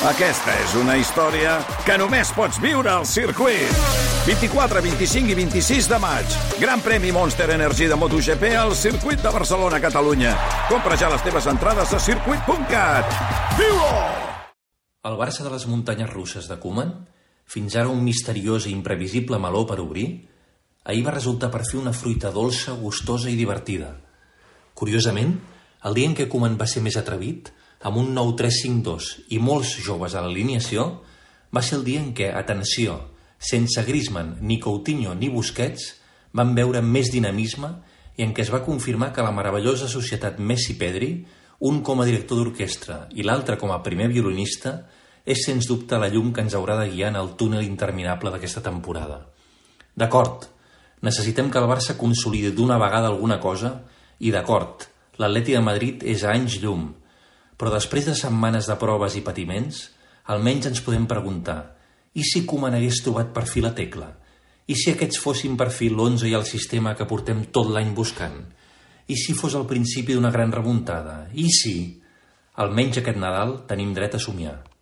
Aquesta és una història que només pots viure al circuit. 24, 25 i 26 de maig. Gran premi Monster Energy de MotoGP al circuit de Barcelona, Catalunya. Compra ja les teves entrades a circuit.cat. Viu-ho! El Barça de les muntanyes russes de Koeman, fins ara un misteriós i imprevisible meló per obrir, ahir va resultar per fi una fruita dolça, gustosa i divertida. Curiosament, el dia en què Koeman va ser més atrevit, amb un nou 3-5-2 i molts joves a l'alineació, va ser el dia en què, atenció, sense Griezmann, ni Coutinho ni Busquets, van veure més dinamisme i en què es va confirmar que la meravellosa societat Messi-Pedri, un com a director d'orquestra i l'altre com a primer violinista, és sens dubte la llum que ens haurà de guiar en el túnel interminable d'aquesta temporada. D'acord, necessitem que el Barça consolidi d'una vegada alguna cosa i d'acord, l'Atleti de Madrid és a anys llum, però després de setmanes de proves i patiments, almenys ens podem preguntar: i si Koeman hagués trobat per fi la tecla? I si aquests fossin per fi l'11 i el sistema que portem tot l'any buscant? I si fos el principi d'una gran remuntada? I si? Almenys aquest Nadal tenim dret a somiar.